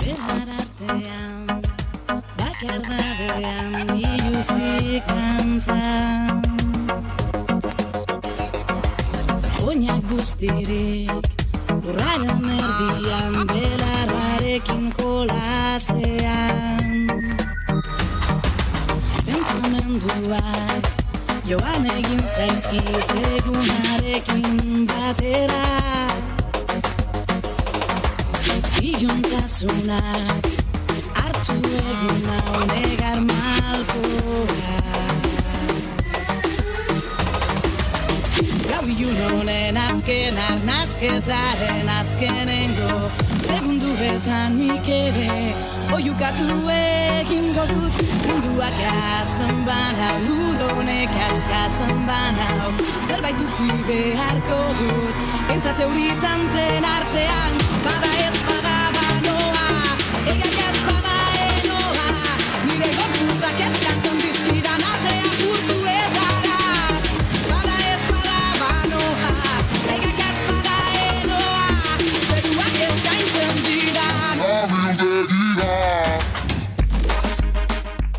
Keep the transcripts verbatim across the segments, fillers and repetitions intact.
Elmar artean, bakardadean, biluzik kantzan. Oinak guztirik, lurraren erdian, belarrarekin kolasean. Pentsamenduak, joan egin zaizkit egunarekin batera. Iluntasunak hartu egin nau negar malkoa. Gau ilunonen azken arnazketaren azkenengo segunduetan nik ere oiukatu egingo dut. Munduak azten bana, ludonek azkatzen bana, zerbait utzi beharko dut. Pentsate horitan den artean, bada ez bada banoa, egak ez bada enoa, nire gorputzak eskatzen dizkidan atea urtuetara. Bada ez bada banoa, egak ez bada enoa, zeruak eskaintzen didan abildegia.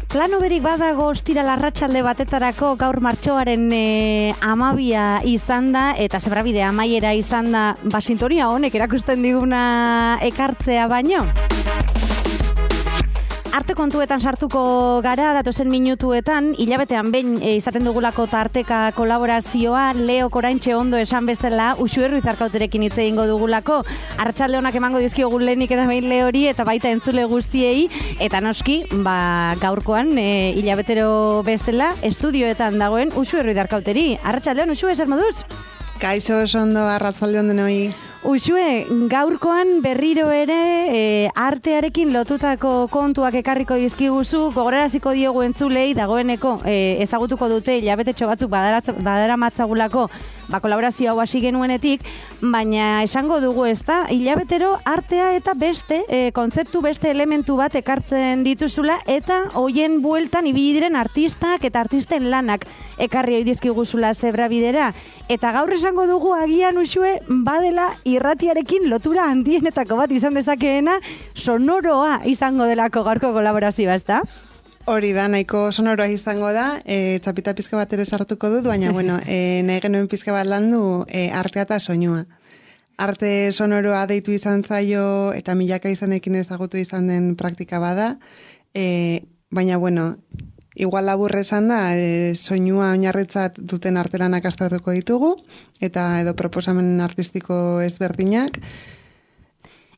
Plano berik badago ostira larratsalde batetarako gaur martxoaren e, amabia izan da, eta zebrabide amaiera izan da, ba, sintonia honek erakusten diguna ekartzea baino. Arte kontuetan sartuko gara datozen minutuetan, hilabetean behin e, izaten dugulako tarteka kolaborazioa, Leo Koraintxe ondo esan bezala, Uxue Ruizarkauterekin hitz egingo dugulako. Arratsalde onak emango dizkiogu lehenik eta behin Leori eta baita entzule guztiei, eta noski, ba, gaurkoan e, hilabetero bezala estudioetan dagoen Uxue Ruizarkauteri. Arratsaldeon, Uxue, zer moduz? Kaixo, ondo, arratsaldeon denoi. Uxue, gaurkoan berriro ere e, artearekin lotutako kontuak ekarriko dizkiguzu, gogoraraziko diogu entzulei dagoeneko e, ezagutuko dute hilabetetxo batzuk badaramatzaigulako ba, kolaborazio hau hasi genuenetik, baina esango dugu ez da, hilabetero artea eta beste, e, kontzeptu beste elementu bat ekartzen dituzula, eta hoien bueltan ibili diren artistak eta artisten lanak ekarri ohi dizkiguzula zebrabidera. Eta gaur esango dugu agian, Uxue, badela irratiarekin lotura handienetako bat izan dezakeena, sonoroa izango delako gaurko kolaborazioa, ez da? Hori da, nahiko sonoroa izango da, e, txapita pizka bat ere sartuko dut, baina, bueno, e, nahi genuen pizka bat landu e, artea eta soinua. Arte sonoroa deitu izan zaio eta milaka izanekin ezagutu izan den praktika bada, e, baina, bueno, igual labur esan da, e, soinua oinarritzat duten artelanak aztertuko ditugu, eta edo proposamen artistiko ezberdinak.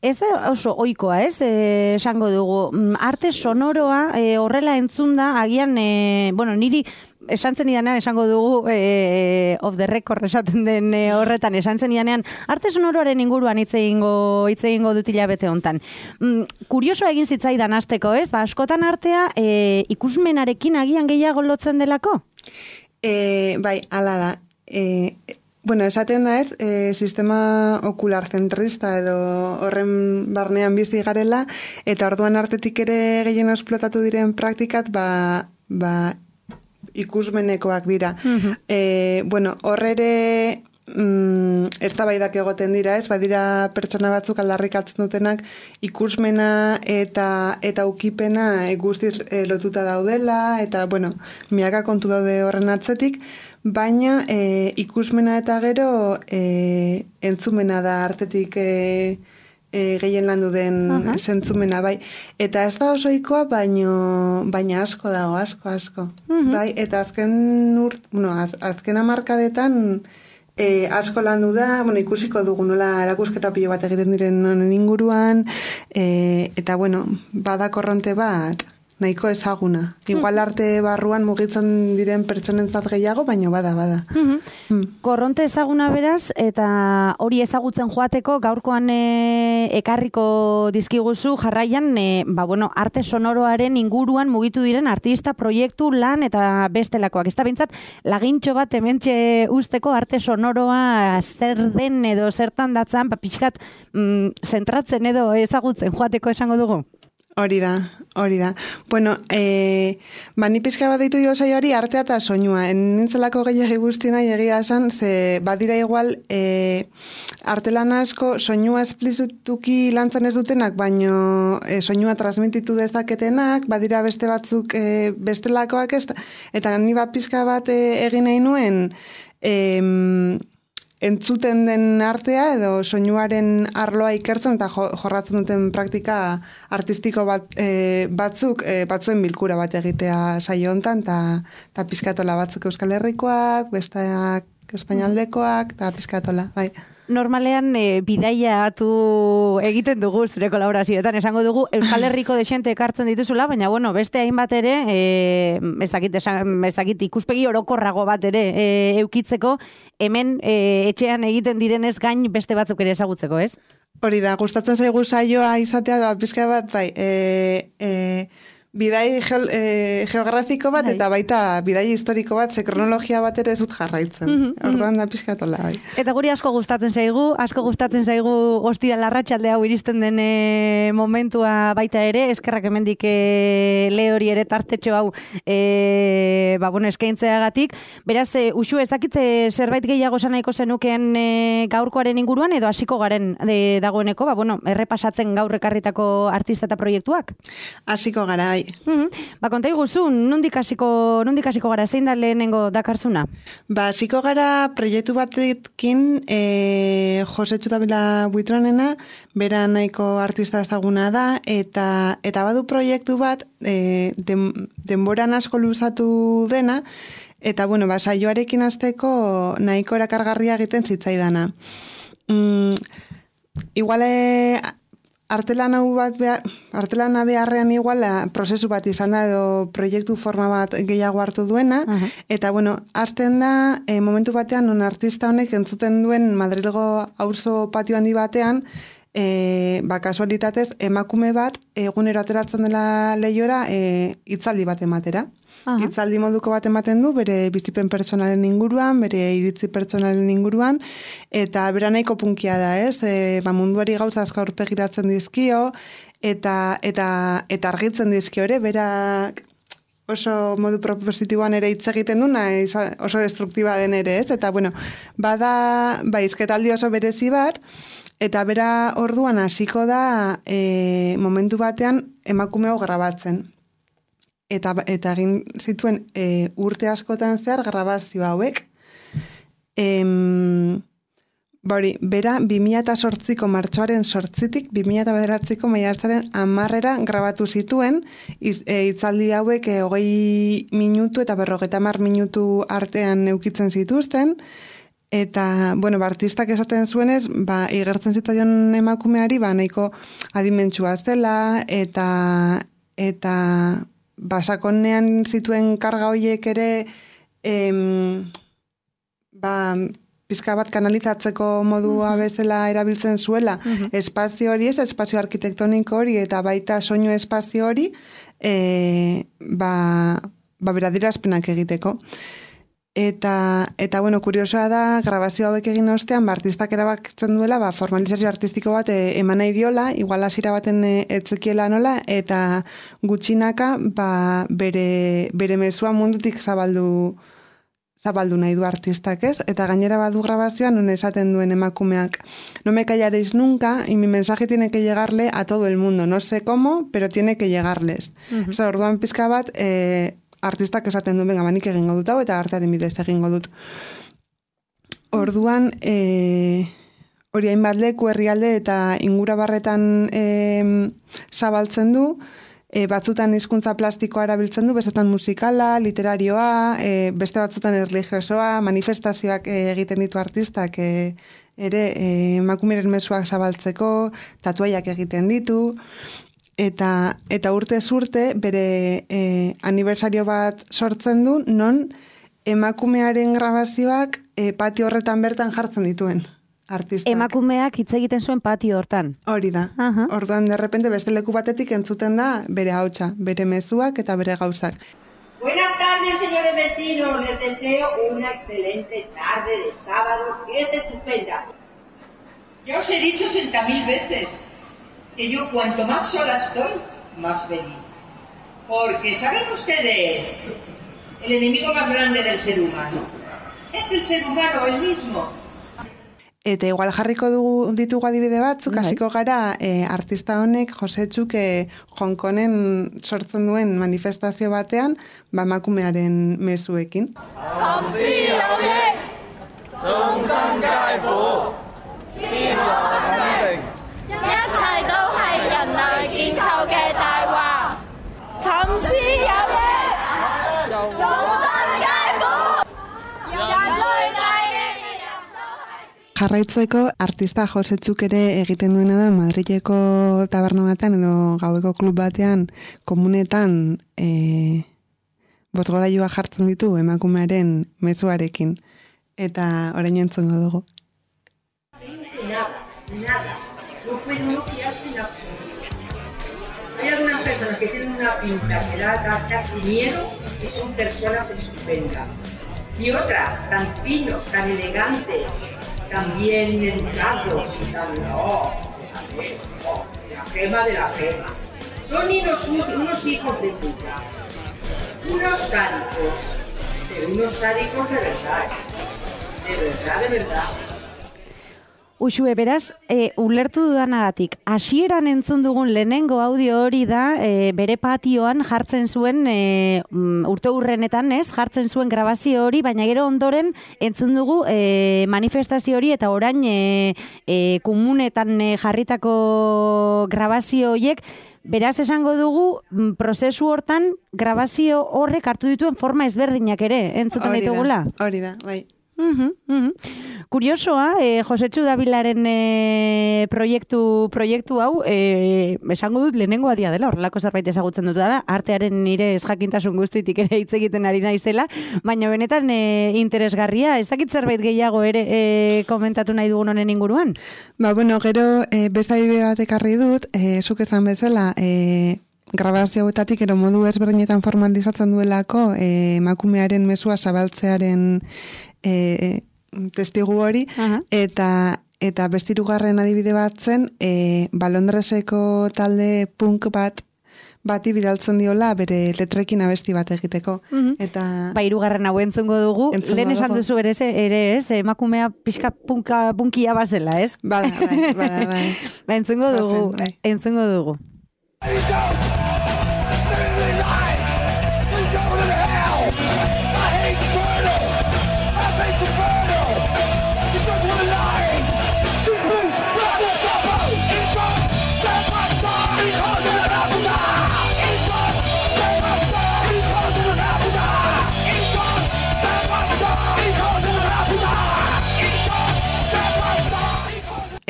Ez da oso ohikoa, ez, e, esango dugu. Arte sonoroa e, horrela entzunda, agian, e, bueno, niri esan zenidanean esango dugu, e, off the record esaten den e, horretan, esan zenidanean, arte sonoroaren inguruan hitz egingo hitz egingo dut hilabete hontan. Mm, kuriosoa egin zitzaidan hasteko, ez? Ba, askotan artea e, ikusmenarekin agian gehiago lotzen delako? E, bai, hala da. E, Bueno, esaten da ez, e, sistema okular zentrista edo horren barnean bizi garela, eta orduan artetik ere gehien esplotatu diren praktikat, ba, ba ikusmenekoak dira. Uh-huh. E, bueno, horre mm, ez da baidak egoten dira, ez, badira pertsona batzuk aldarrikatzen dutenak ikusmena eta eta ukipena e, guztiz e, lotuta daudela, eta, bueno, miaka kontu daude horren atzetik, baina e, ikusmena eta gero e, entzumena da artetik e, e, gehien landu den uh-huh. zentzumena, bai. Eta ez da osoikoa, baino, baina asko dago, asko, asko. Uh-huh. Bai, eta azken urt, bueno, az, azken hamarkadetan e, asko landu da, bueno, ikusiko dugu nola erakusketa pilo bat egiten diren honen inguruan, e, eta, bueno, bada korronte bat, nahiko ezaguna. Igual arte barruan mugitzen diren pertsonentzat gehiago, baina bada, bada. Mm-hmm. Mm. Korronte ezaguna beraz, eta hori ezagutzen joateko gaurkoan e, ekarriko dizkiguzu jarraian, e, ba, bueno, arte sonoroaren inguruan mugitu diren artista, proiektu, lan eta bestelakoak. Ez da bintzat, lagintxo bat hementxe usteko arte sonoroa zer den edo zertan datzan, ba, pixkat, mm, zentratzen edo ezagutzen joateko esango dugu? Hori da, hori da. Bueno, e, ba, ni pizka bat ditu dio saioari artea eta soinua. Nintzelako gehiagi guztiena egia esan, ze badira igual e, artelan asko soinua esplizituki lantzan ez dutenak, baino e, soinua transmititu dezaketenak, badira beste batzuk e, bestelakoak ez, eta ni bat pizka bat e, egin nahi nuen, e, entzuten den artea edo soinuaren arloa ikertzen eta jo, jorratzen duten praktika artistiko bat, e, batzuk e, batzuen bilkura bat egitea saio hontan eta pizkatola batzuk Euskal Herrikoak, besteak espainaldekoak eta pizkatola, bai. Normalean e, bidaia atu egiten dugu zure kolaborazioetan, esango dugu Euskal Herriko desente ekartzen dituzula, baina bueno, beste hainbat ere, e, ez dakit, ez dakit ikuspegi orokorrago bat ere e, eukitzeko, hemen e, etxean egiten direnez gain beste batzuk ere ezagutzeko, ez? Hori da, gustatzen zaigu saioa izatea, ba, pizka bat, bai, e, e, bidai geo, e, geografiko bat eta baita bidai historiko bat, ze kronologia bat ere ez dut jarraitzen. Mm-hmm. Orduan da pizkatola, bai. Eta guri asko gustatzen zaigu, asko gustatzen zaigu ostira larratsalde hau iristen den e, momentua baita ere, eskerrak hemendik e, Leori ere tartetxo hau e, ba, bueno, eskaintzeagatik. Beraz, e, Uxu, ez dakit zerbait gehiago esan nahiko zenukeen e, gaurkoaren inguruan edo hasiko garen e, dagoeneko, ba, bueno, errepasatzen gaur ekarritako artista eta proiektuak? Hasiko gara, bai. Mm-hmm. Ba, konta iguzu, nondik hasiko, nondik hasiko gara, zein da lehenengo dakarzuna? Ba, hasiko gara proiektu batekin e, Jose Txutabila Buitronena, bera nahiko artista ezaguna da, eta eta badu proiektu bat e, den, denboran asko luzatu dena, eta bueno, ba, saioarekin hasteko nahiko erakargarria egiten zitzaidana. Mm, igual e, Artelan hau bat behar, artelana beharrean igual prozesu bat izan da edo proiektu forma bat gehiago hartu duena, uh-huh. Eta bueno, hasten da e, momentu batean non artista honek entzuten duen Madrilgo auzo patio handi batean, e, ba kasualitatez emakume bat egunero ateratzen dela leihora e, hitzaldi bat ematera. Aha. Hitzaldi moduko bat ematen du, bere bizipen pertsonalen inguruan, bere iritzi pertsonalen inguruan, eta bera nahiko punkia da, ez? E, ba, munduari gauza asko aurpegiratzen dizkio, eta, eta, eta argitzen dizkio ere, bera oso modu propositiboan ere hitz egiten duna, oso destruktiba den ere, ez? Eta, bueno, bada, ba, izketaldi oso berezi bat, eta bera orduan hasiko da e, momentu batean emakumeo grabatzen. Eta, eta egin zituen e, urte askotan zehar grabazio hauek. Em, bori, bera bi mila zortziko martxoaren zortzitik, bi mila bederatziko maiatzaren hamarrera grabatu zituen, iz, e, itzaldi hauek e, hogei minutu eta berrogeta hamar minutu artean eukitzen zituzten, eta, bueno, ba, artistak esaten zuenez, ba, igertzen zitzaion emakumeari, ba, nahiko adimentsua zela, eta, eta, basakonean zituen karga horiek ere em, ba, pizka bat kanalizatzeko modua bezala erabiltzen zuela, uh-huh. Espazio hori ez, espazio arkitektoniko hori eta baita soinu espazio hori e, ba, ba beradirazpenak egiteko. Eta, eta bueno, kuriosoa da, grabazio hauek egin ostean, ba, artistak erabakitzen duela, ba, formalizazio artistiko bat e, eman nahi diola, igual hasiera baten e, etzekiela nola, eta gutxinaka, ba, bere, bere mezua mundutik zabaldu, zabaldu nahi du artistak, ez? Eta gainera badu grabazioan, non esaten duen emakumeak, no me callaréis nunca, y mi mensaje tiene que llegarle a todo el mundo, no sé cómo, pero tiene que llegarles. Uh-huh. Oso, orduan pizka bat, e, artistak esaten duen, benga, banik egingo dut hau, eta artearen bidez egingo dut. Orduan, e, hori hainbat leku herrialde eta ingura barretan e, zabaltzen du, e, batzutan hizkuntza plastikoa erabiltzen du, bestetan musikala, literarioa, e, beste batzutan erlijiosoa, manifestazioak e, egiten ditu artistak, e, ere emakumeren e, mezuak zabaltzeko, tatuaiak egiten ditu, Eta, eta urte urte bere e, aniversario bat sortzen du, non emakumearen grabazioak e, patio horretan bertan jartzen dituen artistak. Emakumeak hitz egiten zuen patio hortan. Hori da. Uh-huh. Orduan, de repente, beste leku batetik entzuten da bere hautsa, bere mezuak eta bere gauzak. Buenas tardes, señores vecinos. Les deseo una excelente tarde de sábado, que es estupenda. Ya os he dicho ochenta mil veces que yo cuanto más sola estoy, más feliz. Porque, ¿saben ustedes? El enemigo más grande del ser humano es el ser humano él mismo. Eta igual jarriko dugu ditugu adibide batzuk, hasiko gara e, artista honek Josetxuk e, Hong Kongen sortzen duen manifestazio batean, ba emakumearen mezuekin. Jarraitzeko artista Josetxuk ere egiten duena da Madrileko taberna batean edo gaueko klub batean komunetan e, botgorailua jartzen ditu emakumearen mezuarekin. Eta orain entzungo dugu. Nada, nada. No puede uno fiarse en absoluto. Hay algunas personas que tienen una pinta que da casi miedo y son personas estupendas. Y otras tan finos, tan elegantes, tan bien educados y tan no, fíjate, no, la gema de la gema. Son unos, unos hijos de puta, unos sádicos, pero unos sádicos de verdad, de verdad, de verdad. Uxue, beraz, e, ulertu dudanagatik, hasieran entzun dugun lehenengo audio hori da, e, bere patioan jartzen zuen, e, urte hurrenetan, ez, jartzen zuen grabazio hori, baina gero ondoren entzun dugu e, manifestazio hori, eta orain e, e, komunetan e, jarritako grabazio horiek, beraz esango dugu, prozesu hortan, grabazio horrek hartu dituen forma ezberdinak ere, entzuten ditugula? Hori da, bai. Uh-huh, uh-huh. Kuriosoa, eh, Josetxu Dabilaren eh, proiektu, proiektu hau, eh, esango dut lehenengo adia dela, horrelako zerbait ezagutzen dut dara, artearen nire esjakintasun guztitik ere hitz egiten ari naizela, baina benetan eh, interesgarria, ez dakit zerbait gehiago ere eh, komentatu nahi dugun honen inguruan? Ba, bueno, gero eh, beste adibide bat ekarri dut, eh, zuk esan bezala, eh, grabazio hauetatik ero modu ezberdinetan formalizatzen duelako eh, emakumearen mezua zabaltzearen E, testigu hori, uh-huh. eta eta bestirugarren adibide bat zen, e, ba Londreseko talde punk bat bati bidaltzen diola bere letrekin abesti bat egiteko. Uh-huh. Eta ba hirugarren hau entzungo dugu, lehen esan duzu ere, ere ez, emakumea pixka punka, punkia bazela, ez? Bada, bai, bada, bai. Ba entzungo dugu, bai. entzungo dugu.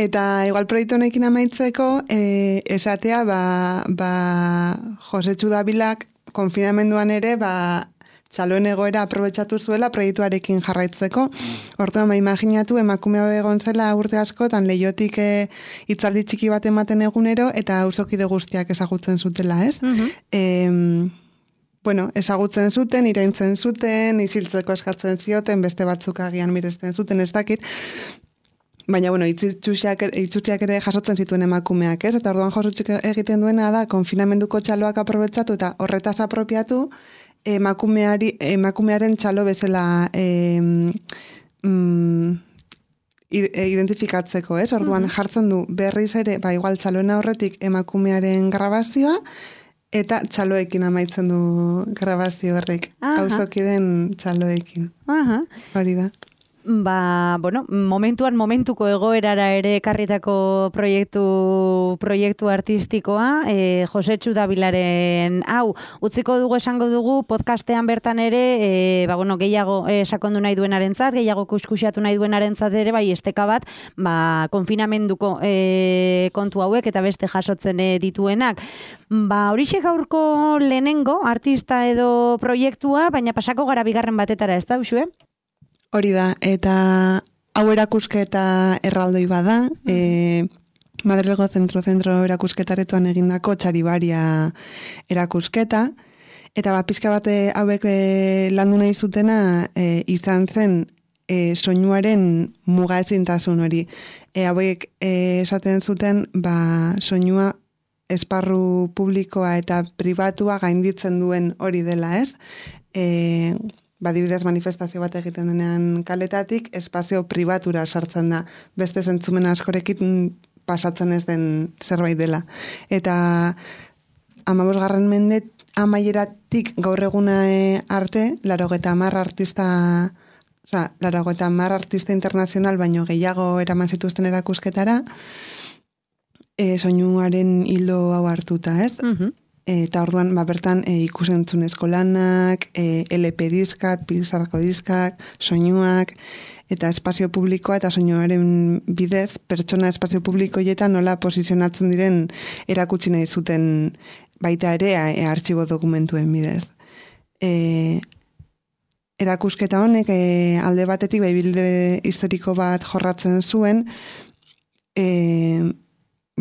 Eta igual proiektu honekin amaitzeko, eh, esatea, ba, ba Josetxu Dabilak konfinamenduan ere, ba, txaloen egoera aprobetxatu zuela proiektuarekin jarraitzeko. Orduan, ba, imaginatu, emakume hau egon zela urte askotan lehiotik e, hitzaldi txiki bat ematen egunero, eta auzokide guztiak ezagutzen zutela, ez? Uh-huh. E, bueno, ezagutzen zuten, iraintzen zuten, isiltzeko eskatzen zioten, beste batzuk agian miresten zuten, ez dakit. Baina, bueno, itzutziak ere jasotzen zituen emakumeak, ez? Eta orduan Josetxuk egiten duena da, konfinamenduko txaloak aprobetxatu eta horretaz apropiatu, emakumeari, emakumearen txalo bezala e, mm, identifikatzeko, ez? Orduan jartzen du berriz ere, ba igual txaloena horretik emakumearen grabazioa, eta txaloekin amaitzen du grabazio horrek. Auzokiden txaloekin. Aha. Hori da. Ba, bueno, momentuan momentuko egoerara ere ekarritako proiektu proiektu artistikoa, e, Josetxu Dabilaren hau, utziko dugu esango dugu podcastean bertan ere, e, ba, bueno, gehiago e, sakondu nahi duenarentzat, gehiago kuskusiatu nahi duenarentzat ere, bai, esteka bat, ba, konfinamenduko e, kontu hauek eta beste jasotzen e, dituenak. Ba, horixe gaurko lehenengo artista edo proiektua, baina pasako gara bigarren batetara, ez da, Uxue? Hori da, eta hau erakusketa erraldoi bada, e, Madrilgo zentro-zentro erakusketaretoan egindako Txaribaria erakusketa, eta bat pizka bate hauek e, landu nahi zutena e, izan zen e, soinuaren muga ezintasun hori. E, hauek e, esaten zuten, ba, soinua esparru publikoa eta pribatua gainditzen duen hori dela, ez? E, badibidez manifestazio bat egiten denean kaletatik, espazio pribatura sartzen da. Beste zentzumen askorekin pasatzen ez den zerbait dela. Eta hamabosgarren mende amaieratik gaur eguna arte, laurogeita hamar artista, osea, laurogeita hamar artista internazional baino gehiago eraman zituzten erakusketara, e, soinuaren hildo hau hartuta, ez? Uh-huh. Eta orduan, ba, bertan e, ikusentzunezko lanak, e, L P diskak, pizarrako diskak, soinuak, eta espazio publikoa eta soinuaren bidez, pertsona espazio publikoietan nola posizionatzen diren erakutsi nahi zuten baita ere e, artxibo dokumentuen bidez. E, erakusketa honek e, alde batetik baibilde historiko bat jorratzen zuen, e,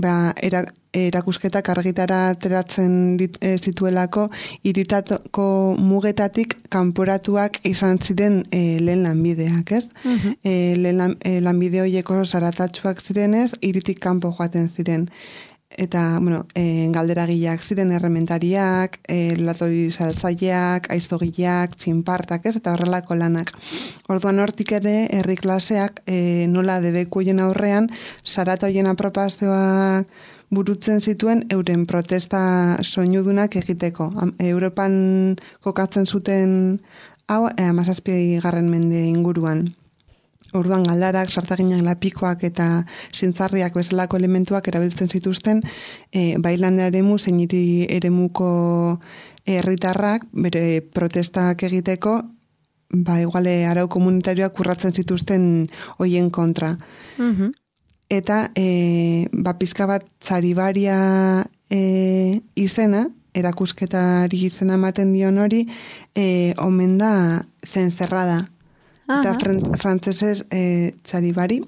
ba, era, erakusketak argitara ateratzen dit, e, zituelako hiritateko mugetatik kanporatuak izan ziren e, lehen lanbideak, ez? Uh-huh. E, lehen lan, e, lanbide horiek oso zaratatsuak zirenez, hiritik kanpo joaten ziren. Eta, bueno, e, galderagileak ziren errementariak, e, latori saltzaileak, aiztogileak, txinpartak, ez? Eta horrelako lanak. Orduan hortik ere, herri klaseak e, nola debekuien aurrean, zaratoien apropazioak burutzen zituen euren protesta soinudunak egiteko. Europan kokatzen zuten hau hamazazpi garren mende inguruan. Orduan galdarak, sartaginak, lapikoak eta zintzarriak bezalako elementuak erabiltzen zituzten e, bailande eremu zein hiri eremuko herritarrak bere protestak egiteko ba iguale arau komunitarioak urratzen zituzten hoien kontra. Uh-huh. Eta e, ba, pizka bat zaribaria e, izena, erakusketari izena ematen dion hori, e, omen da zencerrada. Aha. Eta fran, frantzesez e, zaribari,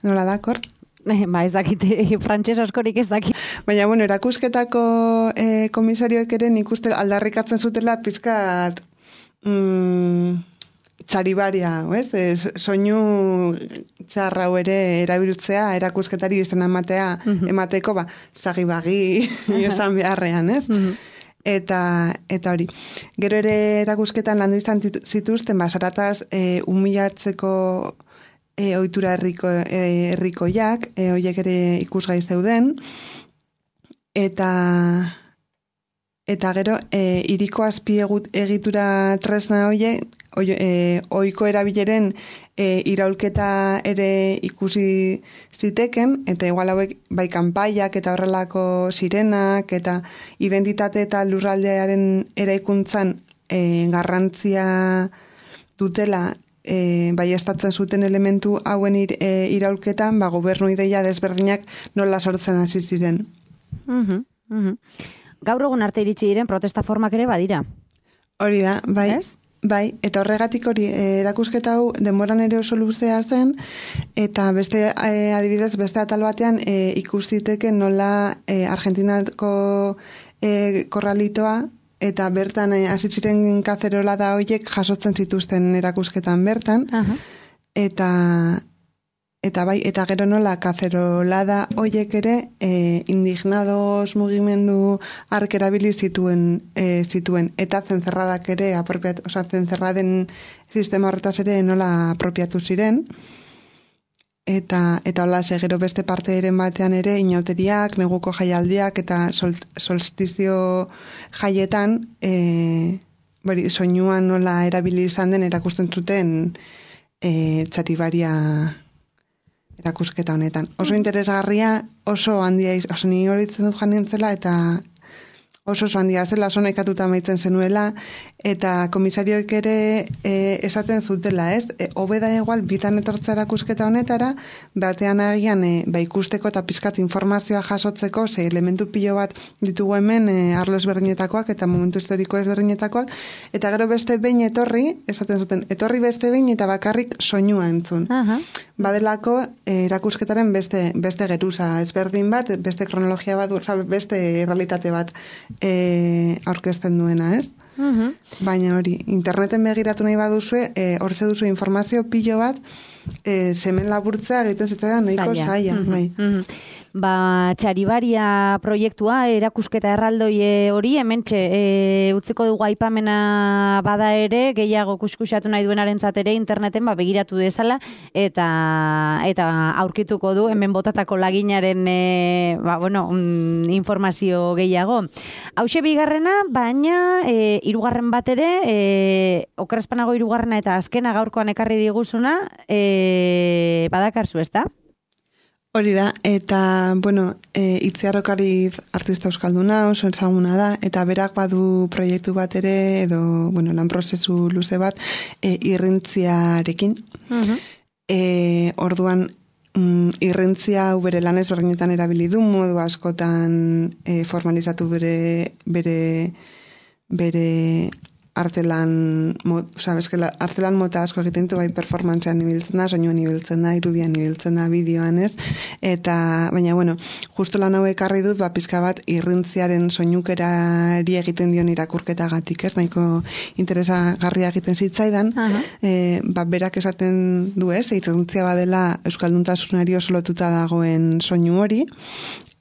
nola dakor? Ba, ez dakit, frantses askorik ez dakit. Baina, bueno, erakusketako e, komisarioek ere nik uste aldarrikatzen zutela pizkat mm, txaribaria, ez? E, soinu txarrau ere erabiltzea, erakusketari izena ematea, uh-huh. emateko, ba, zagibagi esan beharrean, ez? Uh-huh. Eta, eta hori. Gero ere erakusketan landu izan zituzten, ba, zarataz e, humilatzeko e, ohitura herriko, e, herrikoiak, e, horiek ere ikusgai zeuden, eta eta gero e, iriko azpi egitura tresna horiek, e, ohiko erabileren e, iraulketa ere ikusi ziteken, eta igual hauek bai kanpaiak eta horrelako sirenak, eta identitate eta lurraldearen eraikuntzan e, garrantzia dutela e, bai estatzen zuten elementu hauen ir, e, iraulketan, ba, gobernu ideia desberdinak nola sortzen hasi ziren. Uh-huh, uh-huh. Gaur egun arte iritsi diren protesta formak ere badira. Hori da, bai. Ez? Bai, eta horregatik hori erakusketa hau denboran ere oso luzea zen, eta beste e, adibidez beste atal batean e, ikustiteke nola e, Argentinako e, korralitoa eta bertan hasi e, ziren kazerola da horiek jasotzen zituzten erakusketan bertan. Aha. Eta eta bai, eta gero nola kazerolada horiek ere e, indignados mugimendu ark erabili zituen e, zituen eta zencerradak ere apropiatu, osea zencerraden sistema horretaz ere nola apropiatu ziren. Eta eta hola gero beste parte eren batean ere inauteriak, neguko jaialdiak eta sol, solstizio jaietan e, bori, soinuan nola erabili izan den erakusten zuten e, txaribaria erakusketa honetan. Oso interesgarria, oso handia, oso ni horitzen dut jan nintzela, eta oso oso handia zela, oso nekatuta maitzen zenuela, eta komisarioek ere e, esaten zutela, ez? E, Hobeda igual, bitan etortza erakusketa honetara, batean agian e, ba ikusteko eta pizkat informazioa jasotzeko, ze elementu pilo bat ditugu hemen e, arlo ezberdinetakoak eta momentu historiko ezberdinetakoak, eta gero beste behin etorri, esaten zuten, etorri beste behin eta bakarrik soinua entzun. Uh-huh. Badelako e, erakusketaren beste, beste geruza ezberdin bat, beste kronologia bat, beste realitate bat e, aurkezten duena, ez? Uh-huh. Baina hori, interneten begiratu nahi baduzue, e, hortze duzu informazio pilo bat, e, semen laburtzea egiten zitzaidan nahiko zaila. Uh-huh. Bai. Uh-huh. ba, Txaribaria proiektua, erakusketa erraldoi hori, hementxe, e, utziko dugu aipamena bada ere, gehiago kuskusatu nahi duenarentzat ere interneten ba, begiratu dezala, eta eta aurkituko du hemen botatako laginaren e, ba, bueno, mm, informazio gehiago. Hauxe bigarrena, baina e, hirugarren bat ere, e, okerrezpanago hirugarrena eta azkena gaurkoan ekarri diguzuna, e, badakarzu, ezta? Hori da, eta, bueno, e, Itziar Okariz artista euskalduna, oso ezaguna da, eta berak badu proiektu bat ere, edo, bueno, lan prozesu luze bat, e, irrintziarekin. Uh-huh. E, orduan, mm, irrintzia bere lan ezberdinetan erabili du, modu askotan e, formalizatu bere, bere, bere artelan, oza, bezkela, artelan mota asko egiten du, bai performancean ibiltzen da, soinuan ibiltzen da, irudian ibiltzen da, bideoan ez, eta, baina, bueno, justo lan hau ekarri dut, ba, pizka bat irrintziaren soinukerari egiten dion irakurketagatik, ez, nahiko interesagarria egiten zitzaidan, uh-huh. e, ba, berak esaten du ez, irrintzia badela euskalduntasunari oso lotuta dagoen soinu hori,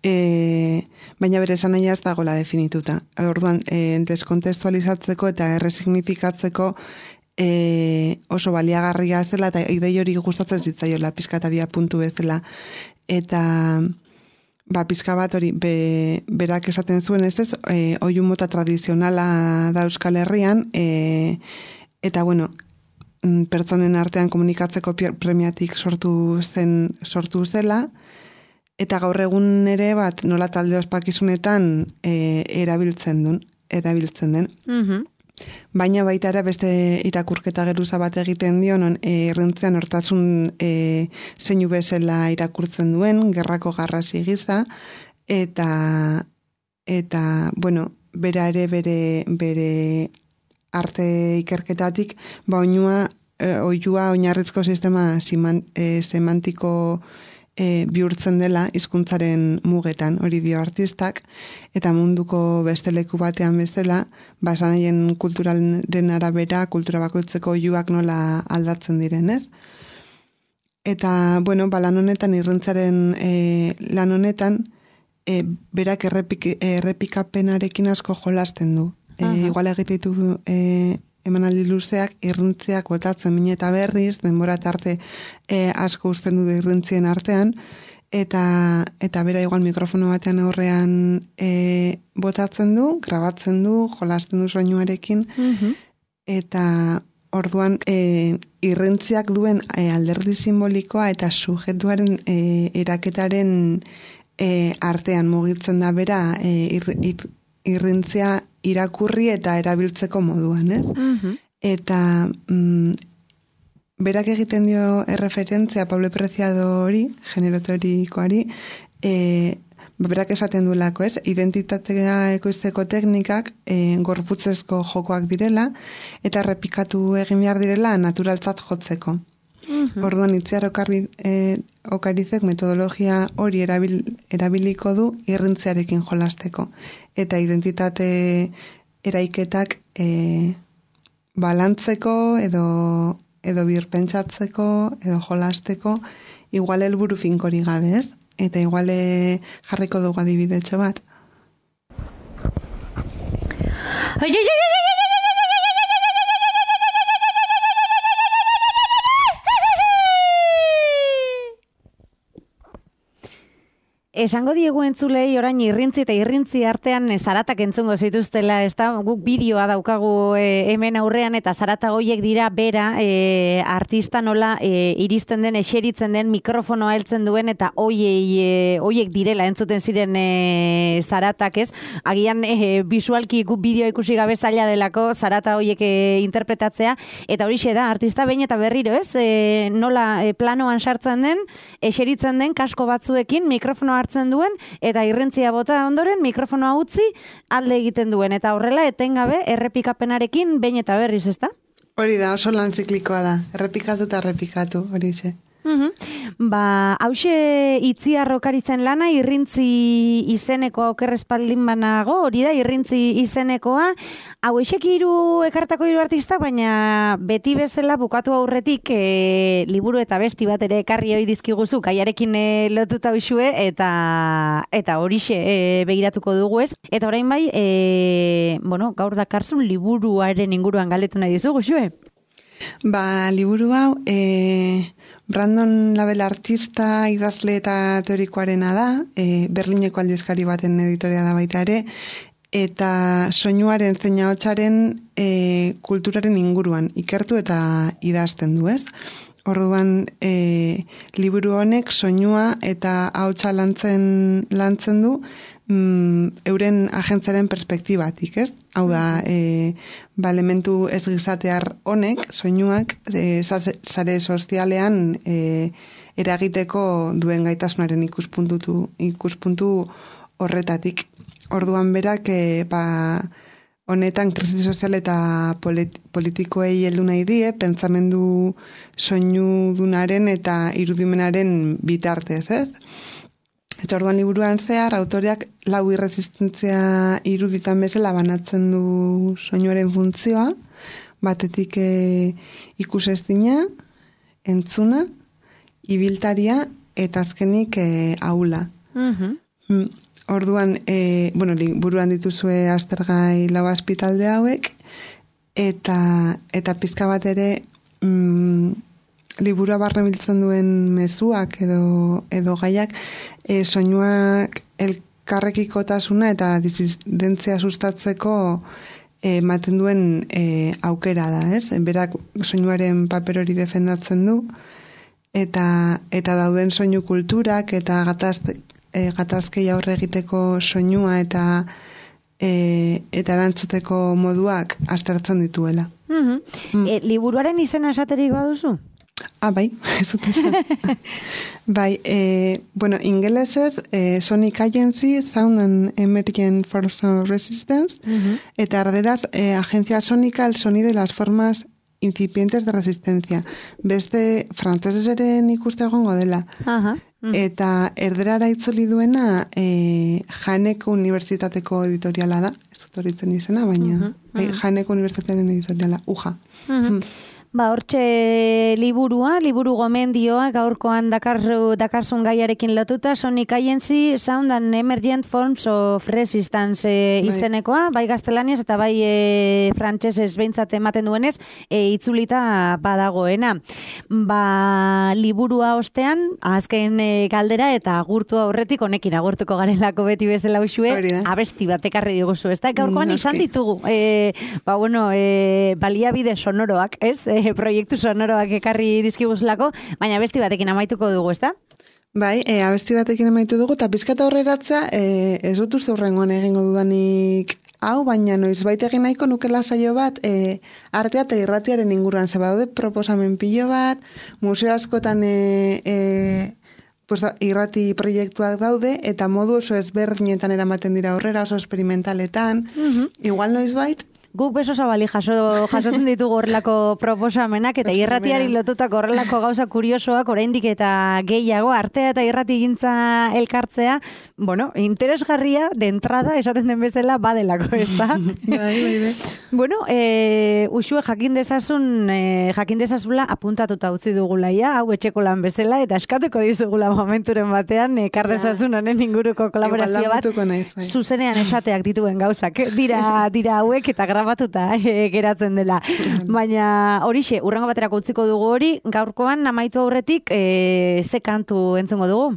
E, baina bere esan nahi ez dagoela definituta. Orduan, e, deskontestualizatzeko eta erresignifikatzeko e, oso baliagarria zela eta idei hori gustatzen zitzaiola pizka eta bia puntu bezala. Eta ba, pizka bat hori be, berak esaten zuen ez ez, e, oihu mota tradizionala da Euskal Herrian, e, eta bueno, pertsonen artean komunikatzeko premiatik sortu zen sortu zela, eta gaur egun ere bat nola talde ospakizunetan e, erabiltzen duen, erabiltzen den. Uh-huh. Baina baita ere beste irakurketa geruza bat egiten dio, non e, irrintzean hortasun e, zeinu bezala irakurtzen duen, gerrako garrasi gisa, eta, eta bueno, bera ere bere, bere arte ikerketatik, ba oinua, e, oiua oinarrizko sistema siman, e, semantiko E, bihurtzen dela hizkuntzaren mugetan, hori dio artistak, eta munduko beste leku batean bezala, basanaien kulturalen arabera, kultura bakoitzeko oihuak nola aldatzen direnez. Eta, bueno, ba, lan honetan, irrintzaren e, lan honetan, e, berak errepik, errepikapenarekin asko jolasten du. E, igual egitetu e, emanaldi luzeak, irrintziak botatzen mine eta berriz, denbora tarte e, asko uzten du irrintzien artean, eta, eta bera igual mikrofono batean aurrean e, botatzen du, grabatzen du, jolasten du soinuarekin, uh-huh. eta orduan e, irrintziak duen e, alderdi simbolikoa eta sujetuaren e, eraketaren e, artean mugitzen da bera e, ir, ir, irrintzia irakurri eta erabiltzeko moduan, ez? Uh-huh. Eta mm, berak egiten dio erreferentzia Pablo Preciado hori, genero teorikoari, e, berak esaten duelako, ez? Identitatea ekoizteko teknikak e, gorputzezko jokoak direla eta errepikatu egin behar direla naturaltzat jotzeko. Uh-huh. Orduan Itziar Okari, e, Okarizek metodologia hori erabil, erabiliko du irrintzearekin jolasteko. Eta identitate eraiketak e, balantzeko edo, edo birpentsatzeko edo jolasteko igual helburu finkori gabe, ez? Eta igual jarriko dugu adibidetxo bat. Ai, ai, ai, ai, ai! Esango diegu entzulei orain irrintzi eta irrintzi artean zaratak entzungo zituztela, ez da, guk bideoa daukagu e, hemen aurrean eta zarata goiek dira bera e, artista nola e, iristen den, eseritzen den, mikrofonoa heltzen duen eta oiei, e, oiek direla entzuten ziren e, zaratak, ez? Agian e, visualki guk bideoa ikusi gabe zaila delako zarata hoiek e, interpretatzea, eta horixe da, artista behin eta berriro, ez? E, nola e, planoan sartzen den, eseritzen den kasko batzuekin, mikrofonoa hartzen duen, eta irrentzia bota ondoren mikrofonoa utzi alde egiten duen, eta horrela etengabe errepikapenarekin behin eta berriz, ezta? Hori da, oso lan ziklikoa da, errepikatu eta errepikatu, hori ze. Uhum. Ba, hause Itziar Okaritzen lana, Irrintzi izenekoa okerrespaldin banago, hori da, Irrintzi izenekoa. Hau esek hiru ekartako hiru artistak, baina beti bezala bukatu aurretik e, liburu eta besti bat ere ekarri hoi dizkiguzu, kaiarekin e, lotuta usue, eta eta horixe e, begiratuko dugu ez. Eta orain bai, e, bueno, gaur dakarzun liburuaren inguruan galdetu nahi dizugu, xue? Ba, liburu hau, e, Brandon Label artista, idazle eta teorikoarena da, e, Berlineko aldizkari baten editoria da baita ere, eta soinuaren zein ahotsaren e, kulturaren inguruan ikertu eta idazten du, ez? Orduan, e, liburu honek soinua eta ahotsa lantzen, lantzen du, mm, euren agentzaren perspektibatik, ez? Hau da, e, ba, elementu ez gizatear honek, soinuak, e, sare sozialean e, eragiteko duen gaitasunaren ikuspuntu, ikuspuntu horretatik. Orduan berak, e, ba, honetan krisi sozial eta polit, politikoei heldu nahi die, pentsamendu soinudunaren eta irudimenaren bitartez, ez? Eta orduan liburuan zehar, autoreak lau irresistentzia iruditan bezala banatzen du soinuaren funtzioa, batetik e, ikusezina, entzuna, ibiltaria eta azkenik e, aula. Mm-hmm. Orduan, e, bueno, liburuan dituzue aztergai lau azpitalde hauek, eta, eta pizka bat ere mm, liburua barne biltzen duen mezuak edo, edo gaiak, e, soinuak elkarrekikotasuna eta disidentzia sustatzeko ematen duen e, aukera da, ez? Berak soinuaren paper hori defendatzen du, eta, eta dauden soinu kulturak eta gatazte, E, gatazkei aurre egiteko soinua eta e, eta erantzuteko moduak aztertzen dituela. Mm-hmm. Mm. E, liburuaren izena esaterik baduzu? Ah, bai, ez dut esan. Bai, e, bueno, ingelesez e, Sonic Agency, Sound and Emergent Force of Resistance, mm-hmm. eta erderaz e, Agencia Sónica, el sonido y las formas incipientes de resistencia. Beste frantzesez ere ikuste egongo dela. Aha. Mm. Eta erderara itzuli duena e, Janeko Unibertsitateko editoriala da. Ez dut horitzen izena, baina uh-huh, uh-huh. Janeko Unibertsitatearen editoriala, uja. Uh-huh. Mm. Ba, hortxe liburua, liburu gomendioa, gaurkoan dakarru, dakarzun gaiarekin lotuta, Sonic Agency, Sound and Emergent Forms of Resistance e, izenekoa, bai gaztelaniaz eta bai e, frantsesez behintzat ematen duenez, e, itzulita badagoena. Ba, liburua ostean, azken e, galdera eta agurtu aurretik, honekin agurtuko garelako beti bezala usue, abesti bat ekarri diguzu, ez da? Gaurkoan izan ditugu, e, ba, bueno, e, baliabide sonoroak, ez? E, proiektu sonoroak ekarri dizkiguzlako, baina abesti batekin amaituko dugu, ezta? Bai, e, abesti batekin amaitu dugu, eta pizkata horreratzea, e, ez dut uste hurrengoan egingo dudanik hau, baina noiz baita egin nahiko nukela saio bat, e, artea eta irratiaren inguruan, zeba daude proposamen pilo bat, museo askotan e, e, pues, irrati proiektuak daude, eta modu oso ezberdinetan eramaten dira horrera, oso experimentaletan, mm-hmm. igual noiz bait, guk beso zabali jaso, jasotzen ditugu horrelako proposamenak eta irratiari lotutako horrelako gauza kuriosoak oraindik eta gehiago artea eta irrati gintza elkartzea, bueno, interesgarria de entrada esaten den bezala badelako, ez da? Bai, bai, bai. Bueno, e, usue jakin desazun, e, jakin desazula apuntatuta utzi dugulaia, hau etxeko lan bezala, eta eskatuko dizugula momenturen batean, ekar desazun honen inguruko kolaborazio bat, naiz, bai. Zuzenean esateak dituen gauzak, dira, dira hauek eta grabatuta e, geratzen dela. Baina horixe, urrengo baterako utziko dugu hori, gaurkoan amaitu aurretik, e, ze kantu entzungo dugu?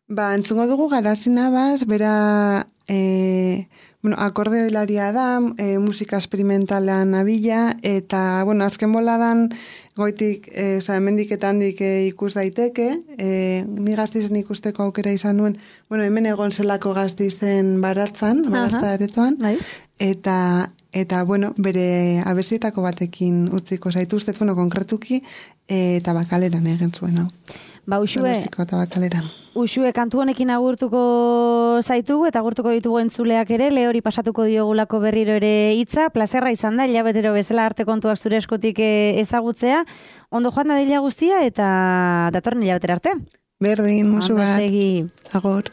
Ba, entzungo dugu Garazina Bas, bera... E, bueno, akorde hilaria da, e, musika esperimentalan abila, eta, bueno, azken boladan goitik, e, oza, hemendik eta handik e, ikus daiteke, e, ni Gazteizen ikusteko aukera izan nuen, bueno, hemen egon zelako Gazteizen baratzan, baratza aretoan, eta, eta, bueno, bere abestietako batekin utziko zaituztet, bueno, konkretuki, e, eta bakaleran egin zuen hau. Ba, Uxue, Donostiko Tabakaleran. Uxue, kantu honekin agurtuko zaitugu eta agurtuko ditugu entzuleak ere, Leori pasatuko diogulako berriro ere hitza, plazerra izan da, hilabetero bezala arte kontuak zure eskutik ezagutzea, ondo joan da dila guztia eta datorren hilabetera arte. Berdin, musu bat. Agur.